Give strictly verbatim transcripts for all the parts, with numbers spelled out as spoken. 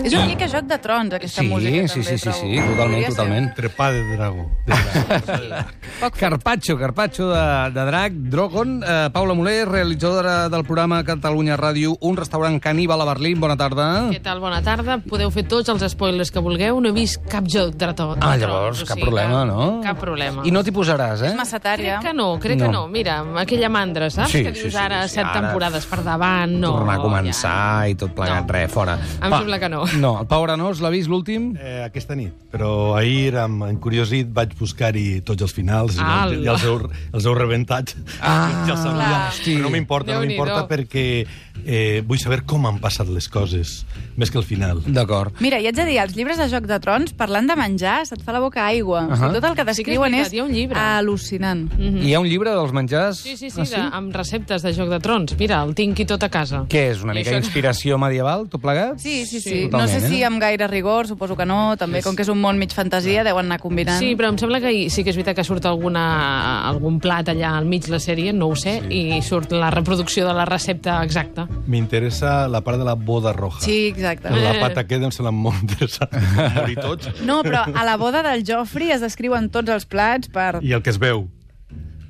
És una mica Joc de Trons, aquesta sí, música, sí, també, sí, sí, trobo. sí, totalment, totalment. Trepà de dragó. Carpaccio, Carpaccio de, de drac, Drogon. Eh, Paula Muller, realitzadora del programa Catalunya Ràdio, un restaurant caníbal a Berlín. Bona tarda. Què tal? Bona tarda. Podeu fer tots els spoilers que vulgueu. No he vist cap joc de trons. Ah, llavors, cap problema, no? Cap problema. I no t'hi posaràs, eh? És massatària. Crec que no, crec que no. Mira, aquella mandra, saps? Sí, que sí, dius sí, ara sí, set ara temporades per davant, no. Tornar a començar ja. i tot plegat, No. res, fora. Em sembla que no. No, el Pau Arenós l'ha vist l'últim? Eh, aquesta nit. Però ahir, amb encuriosit, vaig buscar-hi tots els finals i, Ala. i els, heu, els heu rebentat. Ah, ja els sabia. clar. Però no m'importa, no Déu-n'hi-do. m'importa perquè eh, vull saber com han passat les coses, més que el final. D'acord. Mira, i haig de dir, els llibres de Joc de Trons, parlant de menjar, se't fa la boca aigua. Uh Ahà. -huh. Tot el que Sí que és descriuen veritat, és, hi ha un llibre. al·lucinant. Mhm. Hi ha un llibre dels menjars? Sí, sí, sí, Ah, de, amb receptes de Joc de Trons. Mira, el tinc i tot a casa. Què és, una I mica això- inspiració medieval, tot plegat? Sí, sí, sí. Sí, no totalment, sé si eh? amb gaire rigor, suposo que no. També, com que és un món mig fantasia, deuen anar combinant. Sí, però em sembla que hi- sí que és veritat que surt alguna, algun plat allà al mig de la sèrie, no ho sé, sí. i surt la reproducció de la recepta exacta. M'interessa la part de la boda roja. Sí, exacte. La pata queda em sembla molt interessant. Morir tots. No, però a la boda del Joffrey es descriuen tots els plats per... I el que es veu,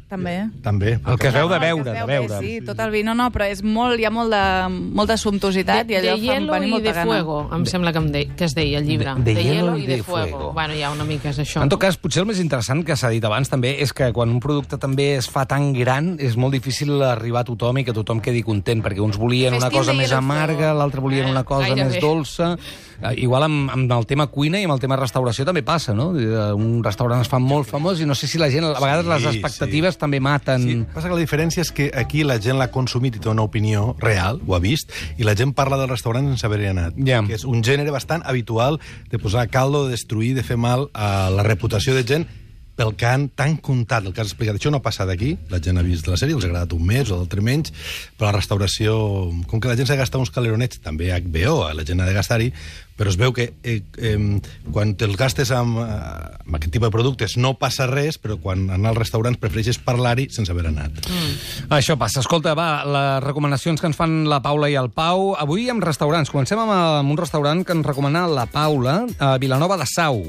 També. també. El que es veu de El que veure, es de veu, veure. Sí, tot el vi. No, no, però és molt, hi ha molt de, molta sumptuositat De, i allò de fa hielo venir i molta de gana. fuego, em sembla que, em de, que es deia el llibre. De- de hielo i de fuego. fuego. Bueno, ja una mica és això. En tot cas, potser el més interessant que s'ha dit abans també és que quan un producte també es fa tan gran és molt difícil arribar a tothom i que tothom quedi content, perquè uns volien una Festiu cosa de més hielo amarga, fuego. l'altre volien Eh, una cosa gairebé. més dolça. Eh, igual amb, amb el tema cuina i amb el tema restauració també passa, no? Eh, Un restaurant es fa molt famós i no sé si la gent, a vegades les Sí, expectatives sí. també maten... Sí, passa que la diferència és que aquí la gent l'ha consumit i té una opinió real, ho ha vist, i la gent parla del restaurant sense haver-hi anat. Ja. Que és un gènere bastant habitual de posar caldo, de destruir, de fer mal a la reputació de gent pel que han tan contat, el que has explicat. Això no ha passat aquí, la gent ha vist la sèrie, els ha agradat un mes o l'altre menys, però la restauració, com que la gent s'ha de gastar uns caleronets, també H B O, la gent ha de gastar-hi, però es veu que eh, eh, quan te'ls gastes amb, eh, amb aquest tipus de productes no passa res, però quan anar als restaurants prefereixes parlar-hi sense haver anat. Mm. Això passa. Escolta, va, les recomanacions que ens fan la Paula i el Pau. Avui amb restaurants. Comencem amb, amb un restaurant que ens recomana la Paula a Vilanova de Sau.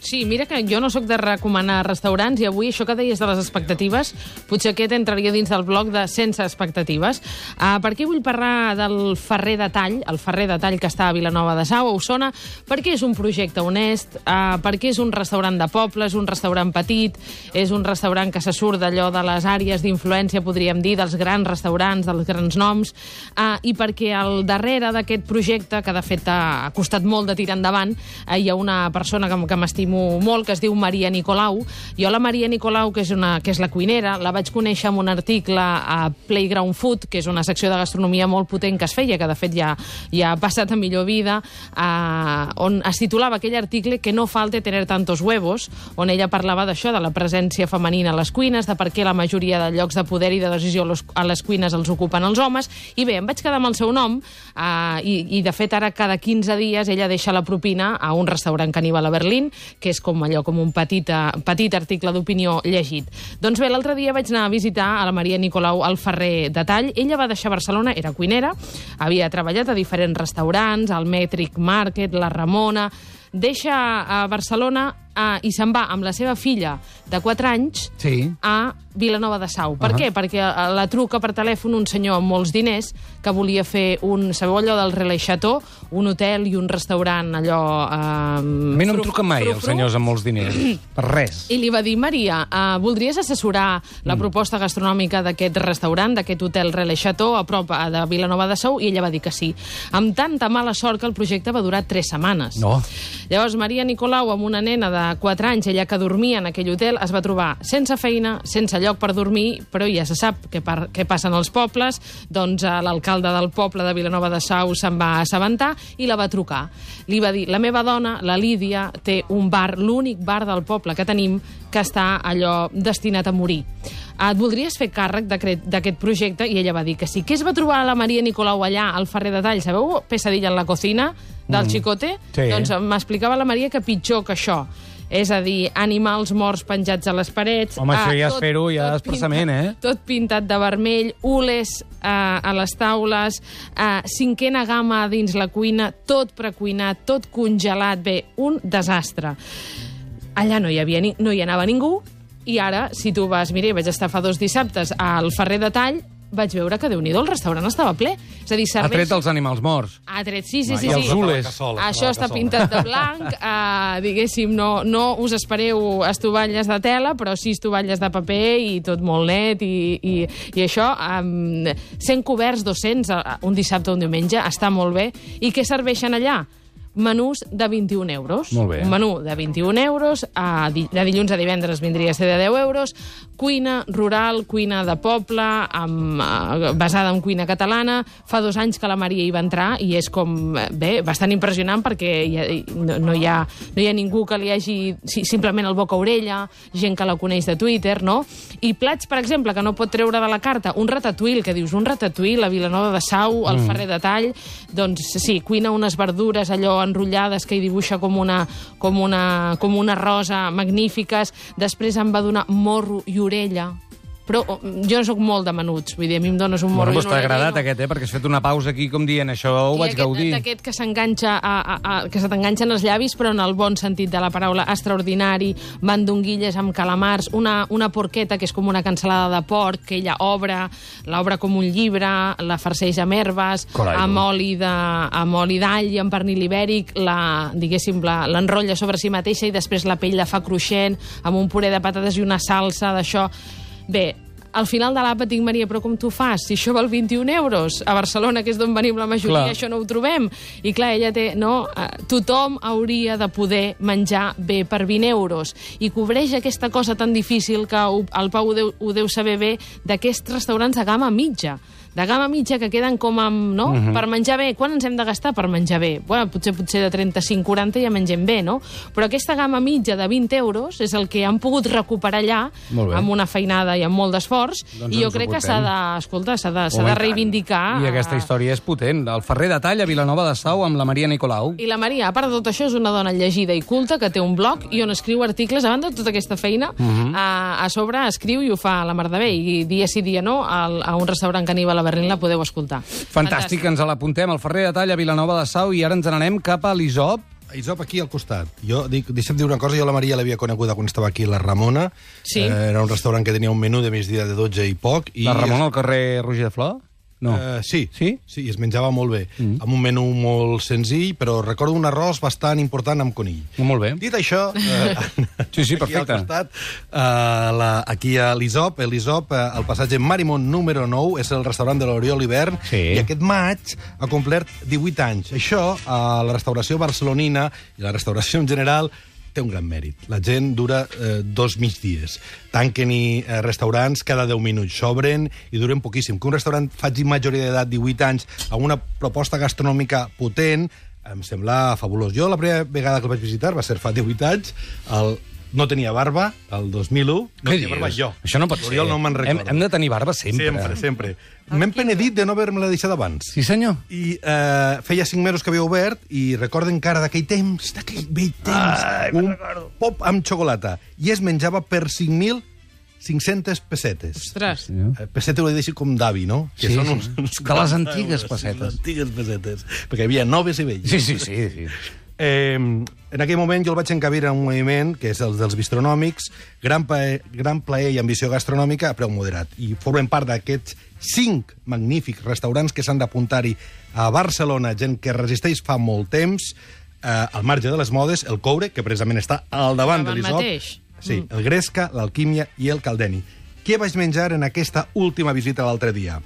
Sí, mira que jo no sóc de recomanar restaurants i avui això que deies de les expectatives, potser aquest entraria dins del bloc de sense expectatives. Uh, per què vull parlar del Ferrer de Tall, el Ferrer de Tall que està a Vilanova de Sau, a Osona? Perquè és un projecte honest, uh, perquè és un restaurant de poble, és un restaurant petit, és un restaurant que se surt d'allò de les àrees d'influència, podríem dir, dels grans restaurants, dels grans noms, uh, i perquè al darrere d'aquest projecte, que de fet ha costat molt de tirar endavant, uh, hi ha una persona que, que m'estimo molt, que es diu Maria Nicolau. Jo la Maria Nicolau, que és, una, que és la cuinera, la vaig conèixer en un article a Playground Food, que és una secció de gastronomia molt potent que es feia, que de fet ja, ja ha passat a millor vida, eh, on es titulava aquell article Que no falte tener tantos huevos, on ella parlava d'això, de la presència femenina a les cuines, de per què la majoria de llocs de poder i de decisió a les cuines els ocupen els homes, i bé, em vaig quedar amb el seu nom, eh, i, i de fet ara cada quinze dies ella deixa la propina a un restaurant caníbal a Berlín, que és com allò, com un petit, petit article d'opinió llegit. Doncs bé, l'altre dia vaig anar a visitar a la Maria Nicolau al Ferrer de Tall. Ella va deixar Barcelona, era cuinera, havia treballat a diferents restaurants, al Metric Market, la Ramona. Deixa a Barcelona uh, i se'n va amb la seva filla de quatre anys Sí. a Vilanova de Sau. Per Uh-huh. què? Perquè uh, la truca per telèfon un senyor amb molts diners que volia fer un, sabeu allò del Relais Chateau? Un hotel i un restaurant allò... Uh, A mi no em truquen mai els senyors amb molts diners. Per res. I li va dir, Maria, uh, voldries assessorar la proposta gastronòmica d'aquest restaurant, d'aquest hotel Relais Chateau, a prop uh, de Vilanova de Sau? I ella va dir que sí. Amb tanta mala sort que el projecte va durar tres setmanes. No. Llavors, Maria Nicolau, amb una nena de quatre anys, ella que dormia en aquell hotel, es va trobar sense feina, sense lloc per dormir, però ja se sap què, per, què passen als pobles, doncs uh, l'alcalde del poble de Vilanova de Sau se'n va assabentar i la va trucar. Li va dir, la meva dona, la Lídia, té un bar, l'únic bar del poble que tenim, que està allò destinat a morir. Et voldries fer càrrec d'aquest projecte? I ella va dir que sí. Què es va trobar la Maria Nicolau allà, al Ferrer de Tall? Sabeu Pesadilla en la cocina, del mm. Chicote? Sí. Doncs m'explicava la Maria que pitjor que això. És a dir, animals morts penjats a les parets. Home, això ja tot- és fer-ho, ja tot expressament, pintat- eh? Tot pintat de vermell, ules eh, a les taules, eh, cinquena gamma dins la cuina, tot precuinat, tot congelat. Bé, un desastre. Allà no hi havia ni, no hi anava ningú, i ara, si tu vas... Mira, vaig estar fa dos dissabtes al Ferrer de Tall, vaig veure que, Déu-n'hi-do, el restaurant estava ple. És a dir, Ha serveix... tret els animals morts. Ha tret, sí, sí, sí. I els sí. ules. Això està pintat de blanc, uh, diguéssim, no, no us espereu estovalles de tela, però sí estovalles de paper i tot molt net, i, i, i això, um, cent coberts, dos-cents, uh, un dissabte o un diumenge, està molt bé. I què serveixen allà? Menús de vint-i-un euros. Molt bé. Un menú de vint-i-un euros, a, di- de dilluns a divendres vindria a ser de deu euros, cuina rural, cuina de poble, amb, eh, basada en cuina catalana. Fa dos anys que la Maria hi va entrar i és com, eh, bé, bastant impressionant perquè hi ha, no, no, hi ha, no hi ha ningú que li hagi si, simplement el boca-orella, gent que la coneix de Twitter, no? I plats, per exemple, que no pot treure de la carta, un ratatouille, que dius, un ratatouille a Vilanova de Sau, al mm. Ferrer de Tall, doncs sí, cuina unes verdures allò enrotllades que hi dibuixa com una, com una, com una rosa, magnífiques. Després em va donar morro i orella. Però oh, jo no soc molt de menuts, vull dir, a mi em dones un morro Bueno, i doncs una t'ha orella. agradat no. aquest, eh? Perquè has fet una pausa aquí com dient això ho I vaig aquest, gaudir. d'aquest que s'enganxa a, a, a, que se t'enganxen els llavis, però en el bon sentit de la paraula, extraordinari, mandonguilles amb calamars, una, una porqueta que és com una cansalada de porc, que ella obre, l'obre com un llibre, la farceix amb herbes, Carai, amb tu. oli de, amb oli d'all i amb pernil ibèric, la, diguéssim, la, l'enrotlla sobre si mateixa i després la pell la fa cruixent, amb un puré de patates i una salsa d'això. Bé, al final de l'àpat dic, Maria, però com tu fas? Si això val vint-i-un euros, a Barcelona, que és d'on venim la majoria, Clar. això no ho trobem. I clar, ella té, no, eh, tothom hauria de poder menjar bé per vint euros. I cobreix aquesta cosa tan difícil que ho- el Pau ho deu, ho deu saber bé, d'aquests restaurants de gamma mitja. De gamma mitja que queden com amb, no? Uh -huh. Per menjar bé. Quan ens hem de gastar per menjar bé? Bueno, potser potser de trenta-cinc a quaranta ja mengem bé, no? Però aquesta gamma mitja de vint euros és el que han pogut recuperar allà Molt bé. amb una feinada i amb molt d'esforç. Doncs I jo ens ho crec que portem. s'ha de, escolta, s'ha de, s'ha Home, de i tant. reivindicar. I aquesta eh, història és potent. El Ferrer de Tall a Vilanova de Sau amb la Maria Nicolau. I la Maria, a part de tot això, és una dona llegida i culta que té un blog i on escriu articles. A banda de tota aquesta feina, uh -huh. a, a sobre escriu i ho fa a la mar de bé. I dia sí, dia no, al, a un restaurant caníbal a Berlín la podeu escoltar. Fantàstic, ens l'apuntem. El Ferrer de Tall a Vilanova de Sau i ara ens n'anem cap a l'Isop. Isop, aquí al costat. Jo dic, deixa'm dir una cosa, jo la Maria l'havia coneguda quan estava aquí a la Ramona. Sí. Eh, era un restaurant que tenia un menú de migdia de dotze i poc. I La Ramona al carrer Roger de Flor? No. Eh, sí, Sí? sí, i es menjava molt bé, mm. amb un menú molt senzill, però recordo un arròs bastant important amb conill. Molt bé. Dit això, eh, Sí, sí, aquí al perfecte. costat, eh, la, aquí a l'Isop, l'Isop, eh, al passatge Marimont número nou, és el restaurant de l'Oriol Hivern, Sí. i aquest maig ha complert divuit anys. Això, a la restauració barcelonina i la restauració en general, té un gran mèrit. La gent dura eh, dos migdies. Tanquen-hi eh, restaurants cada deu minuts, s'obren i duren poquíssim. Que un restaurant faci majoria d'edat, divuit anys, amb una proposta gastronòmica potent, em sembla fabulós. Jo la primera vegada que el vaig visitar va ser fa divuit anys, el... no tenia barba, el dos mil un, no Què tenia barba dius? jo. Això no pot ser. L'Oriol no me'n hem, recordo. hem de tenir barba sempre. Sempre, sempre. M'hem penedit de no haver-me-la deixat abans. Sí, senyor. I eh, feia cinc mesos que havia obert i recordo encara d'aquell temps, d'aquell vell temps, Ai, un pop amb xocolata. I es menjava per cinc mil cinc-centes pessetes. Ostres. Eh, Pessetes ho he dit com d'avi, no? Sí, sí. De les quaranta antigues euros, pessetes. Les antigues pessetes. Perquè hi havia noves i velles. Sí, sí, sí. sí. Eh, en aquell moment jo el vaig encabir en un moviment que és el dels bistronòmics, gran plaer, gran plaer i ambició gastronòmica a preu moderat. I formen part d'aquests cinc magnífics restaurants que s'han d'apuntar-hi a Barcelona, gent que resisteix fa molt temps, eh, al marge de les modes, el Coure, que precisament està al davant Davant de l'Isop. mateix. Sí, el Gresca, l'Alquímia i el Caldeni. Què vaig menjar en aquesta última visita l'altre dia?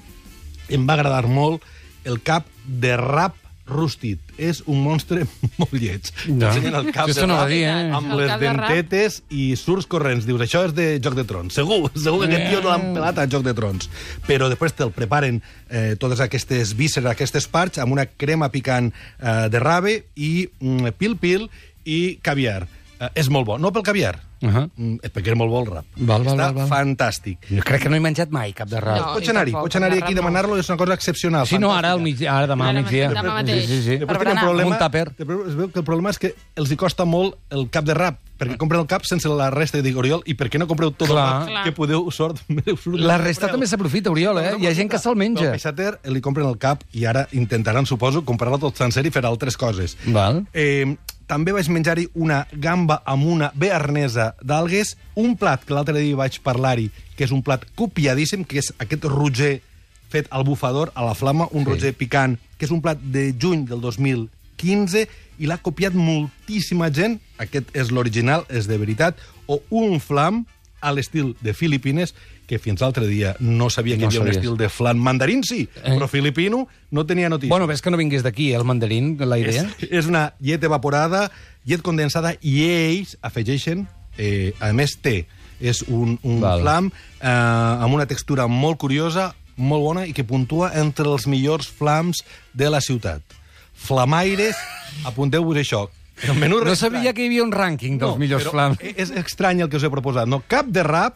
Em va agradar molt el cap de rap rostit. És un monstre molt lleig. Ja. T'ensenyen el cap Això de no va rap dir, eh? amb El les cap de rap. dentetes i surts corrents. Dius, això és de Joc de Trons. Segur, segur que aquest tio no l'han pelat a Joc de Trons. Però després te'l preparen eh, totes aquestes vísceres, aquestes parts, amb una crema picant eh, de rave i mm, pil-pil i caviar. Uh, és molt bo. No pel caviar, Uh -huh. mm, perquè era molt bo el rap. Val, val, Està val, val. fantàstic. Jo crec que no he menjat mai cap de rap. No. Pots i anar-hi, tampoc, pots anar-hi de aquí i rap no. demanar-lo, és una cosa excepcional. Sí, no, ara, al fantàstica. migdia, ara demà al Ara migdia. demà mateix. Sí, sí, sí. Després Per tenen berenar. problema, Un tàper. després es veu que el problema és que els hi costa molt el cap de rap, perquè compren el cap sense la resta. I dic, Oriol, i per què no compreu tot Clar. el rap que podeu sort? surt La resta també s'aprofita, Oriol, eh? Hi ha gent que se'l menja. El peixater li compren el cap i ara intentaran, suposo, comprar-lo tot sencer i fer altres coses. Val. Eh, també vaig menjar-hi una gamba amb una bearnesa d'algues, un plat que l'altre dia vaig parlar-hi, que és un plat copiadíssim, que és aquest roger fet al bufador, a la flama, un Sí. roger picant, que és un plat de juny del dos mil quinze, i l'ha copiat moltíssima gent. Aquest és l'original, és de veritat. O un flam a l'estil de Filipines, que fins l'altre dia no sabia que No hi havia un sabies. estil de flan mandarín, sí, Eh. però filipino no tenia notícia. Bueno, ves que no vingués d'aquí, eh, el mandarín, la idea. És, és una llet evaporada, llet condensada, i ells afegeixen, eh, a més, té. És un, un Val. flam eh, amb una textura molt curiosa, molt bona, i que puntua entre els millors flams de la ciutat. Flamaires, apunteu-vos això. El menú No sabia que hi havia un rànquing dels millors però flams. És estrany el que us he proposat. No, cap de rap,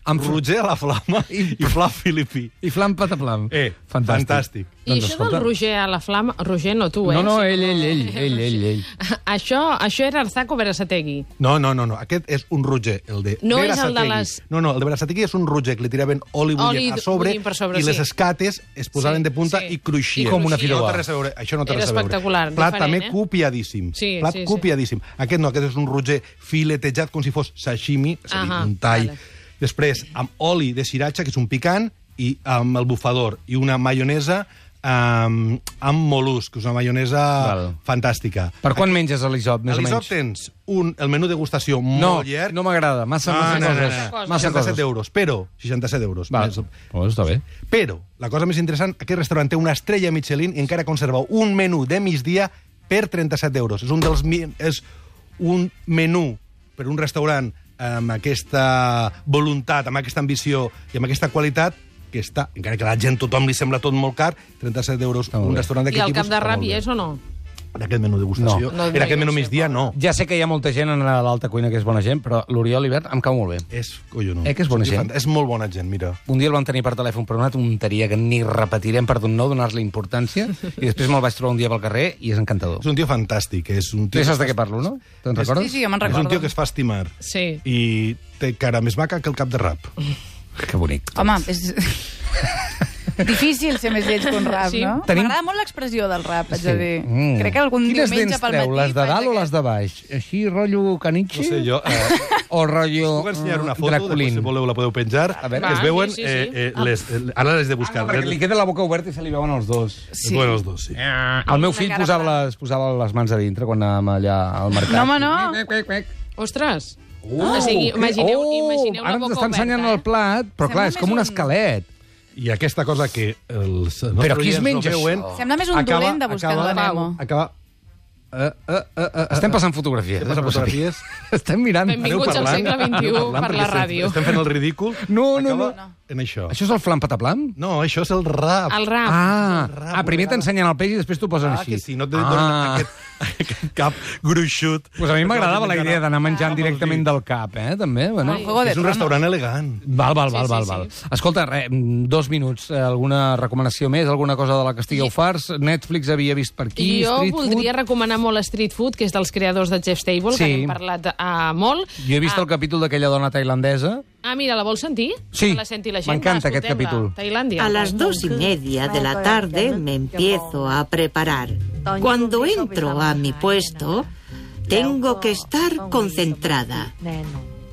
Amb amb roger a la flama i, i flam filipí. I flam pataplam. Eh, Fantàstic. fantàstic. I Doncs això escolta. del Roger a la flama... Roger, no tu, eh? No, no, Sí, ell, com- ell, ell, ell, ell, ell. Això, això era Arzaco Berasategui. No, no, no, no. Aquest és un roger, el de No és el de Berasategui. les- No, no, el de Berasategui és un roger que li tiraven oli Oli bullent a sobre, bullint per sobre, i les sí. escates es posaven Sí, de punta sí. i cruixien. I com una No fideuà. té res a veure, això no té Era res a veure. espectacular, Plat diferent, també eh? copiadíssim. Sí, Plat sí, sí. copiadíssim. Aquest no, aquest és un roger filetejat com si fos sashimi, és a dir, Ahà, un tall. vale. Després, amb oli de sriracha, que és un picant, i amb el bufador, i una maionesa amb, amb mol·lusc, que és una maionesa Val. fantàstica. Per quan menges a l'Isop, més A o l'Isop menys? tens un, el menú degustació No, molt llarg. no m'agrada. Massa, massa no, no, coses. no, no. Massa seixanta-set coses. euros, però... seixanta-set euros. Val. Més- Oh, està bé. Però, la cosa més interessant, aquest restaurant té una estrella Michelin i encara conserva un menú de migdia per trenta-set euros. És un dels mi- és un menú per un restaurant amb aquesta voluntat, amb aquesta ambició i amb aquesta qualitat, que està, encara que a la gent, tothom li sembla tot molt car, trenta-set euros, Està molt un bé. restaurant I d'aquest el tipus... cap de està rap molt hi bé. és o no? En aquest menú degustació. No. No, en aquest no menú sé, migdia, no. Ja sé que hi ha molta gent en l'alta cuina que és bona gent, però l'Oriol Ibert em cau molt bé. És collonut. Eh, que és bona Sí, gent? fant- És molt bona gent, mira. Un dia el vam tenir per telèfon per una tonteria que ni repetirem per no donar-li importància, i després me'l vaig trobar un dia pel carrer i és encantador. És un tio fantàstic. És un tio Tu saps que de què parlo, no? Te'n recordes? Sí, sí, jo me'n És un recordo. tio que es fa estimar. Sí. I té cara més maca que el cap de rap. Que bonic. Home, és... Difícil ser més lleig que un rap, Sí. no? Tenim- M'agrada molt l'expressió del rap, haig de dir. Mm. Crec que algun Quines diumenge dents pel treu, matí... les de faig dalt o aquest- les de baix? Així, rotllo caniche? No sé, jo... Eh, O rotllo puc ensenyar una eh, foto, després, Draculín? si voleu la podeu penjar. A veure. es Va, veuen... sí, sí, Eh, sí. eh, les, eh, ara les de Ah, buscar. no, perquè li queda la boca oberta i se li veuen els dos. Es veuen els dos, sí. El meu Una fill cara posava plana. les, posava les mans a dintre quan anàvem allà al mercat. No, home, no. Quec, quec, quec. Ostres! Uh, o sigui, que- imagineu, oh, imagineu ara la ens boca està ensenyant oberta, el plat, però clar, Sembla és com més un un- esquelet. I aquesta cosa que els Però qui es nostres menja oients no veuen, això? Sembla més un acaba- dolent de buscar acaba- la Nemo. Acaba... Uh, uh, uh, uh, Estem passant fotografies. Estem passant eh, fotografies. Estem mirant. Benvinguts Aneu al parlant, segle vint-i-u aneu parlant, per la perquè estem- ràdio. Estem fent el ridícul. No, no, Acaba no. en això. Això és el flam pataplam? No, això és el rap. El rap. Ah, rap, ah primer una t'ensenyen el peix i després t'ho posen Ah, així. que si no te donen Ah. aquest, aquest cap gruixut. Pues a mi m'agradava la idea d'anar menjant Ah, directament vols del cap, eh, també. Bueno. Ai. Juego de És un Tronos. restaurant elegant. Val, val, Sí, val, sí, val, sí. val. Escolta, re, dos minuts. Eh, alguna recomanació més? Alguna cosa de la que estigueu farts? Netflix havia vist per aquí? Jo Street voldria food? recomanar molt Street Food, que és dels creadors de Chef's Table, Sí. que n'hem parlat uh, molt. Jo he vist Ah, el capítol d'aquella dona tailandesa. Ah, mira, la vols sentir? Sí, Que la senti la gent. m'encanta Va, aquest escoltem-la. capítol. Tailàndia. A las dos y media de la tarde me empiezo a preparar. Cuando entro a mi puesto, tengo que estar concentrada.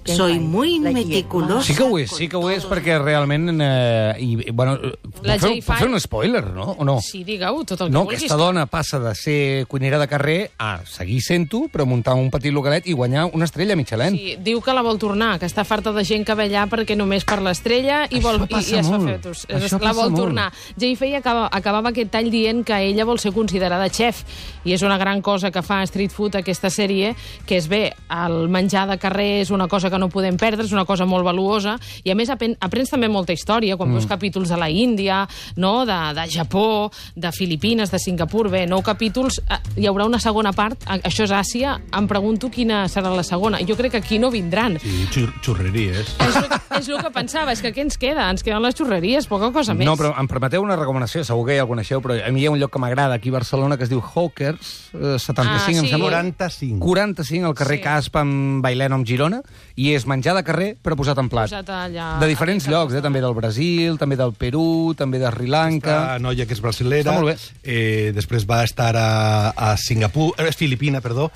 Soy muy meticulosa. Sí que ho és, sí que ho és, perquè realment... Eh, i, bueno, La puc fer, J puc fer un spoiler, no? O no? Sí, digue-ho, tot el que No, vulguis. aquesta dona passa de ser cuinera de carrer a seguir sent-ho, però muntar un petit localet i guanyar una estrella Michelin. Sí, diu que la vol tornar, que està farta de gent que ve allà perquè només per l'estrella i, Això vol, i, passa i es fa molt. fetus. Això La passa vol molt. tornar. Jay Fay acaba, acabava aquest tall dient que ella vol ser considerada xef i és una gran cosa que fa Street Food aquesta sèrie, que és bé, el menjar de carrer és una cosa que no podem perdre, és una cosa molt valuosa, i a més apen aprens també molta història, quan mm. veus capítols de la Índia, no? de, de Japó, de Filipines, de Singapur, bé, nou capítols, hi haurà una segona part, això és Àsia, em pregunto quina serà la segona. Jo crec que aquí no vindran. Sí, xur xurreries. És el, és el que pensava, és que què ens queda? Ens queden les xurreries, poca cosa més. No, però em permeteu una recomanació, segur que ja el coneixeu, però a mi hi ha un lloc que m'agrada aquí a Barcelona que es diu Hawkers, eh, setanta-cinc, ah, em sí. sembla. quaranta-cinc. quaranta-cinc, al carrer Sí. Casp, amb Bailèn, amb Girona, i és menjar de carrer, però posat en plat. Posat allà, de diferents llocs, eh, també del Brasil, també del Perú, també de Sri Lanka. La noia que és brasilera. Està molt bé. Eh, després va estar a, a Singapur, eh, és Filipina, perdó,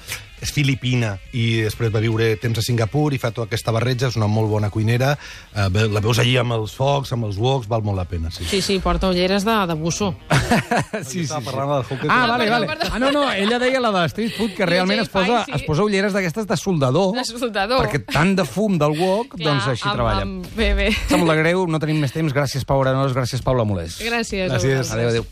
és filipina, i després va viure temps a Singapur i fa tota aquesta barreja, és una molt bona cuinera, eh, la veus allí amb els focs, amb els woks, val molt la pena, sí. Sí, sí, porta ulleres de, de busso. sí, sí, sí. Parlant del Hawker. Ah, Ah, vale, perdó, vale. perdó. Ah, no, no, ella deia la de street food, que realment es posa, sí. es posa ulleres d'aquestes de soldador, De soldador. perquè tant de fum del wok, Clar, doncs així amb- treballa. amb- Bé, bé. Em sap molt de greu, no tenim més temps. Gràcies, Pau Arenós, gràcies, Paula Molés. Gràcies. a Gràcies. vosaltres. Adéu, adéu.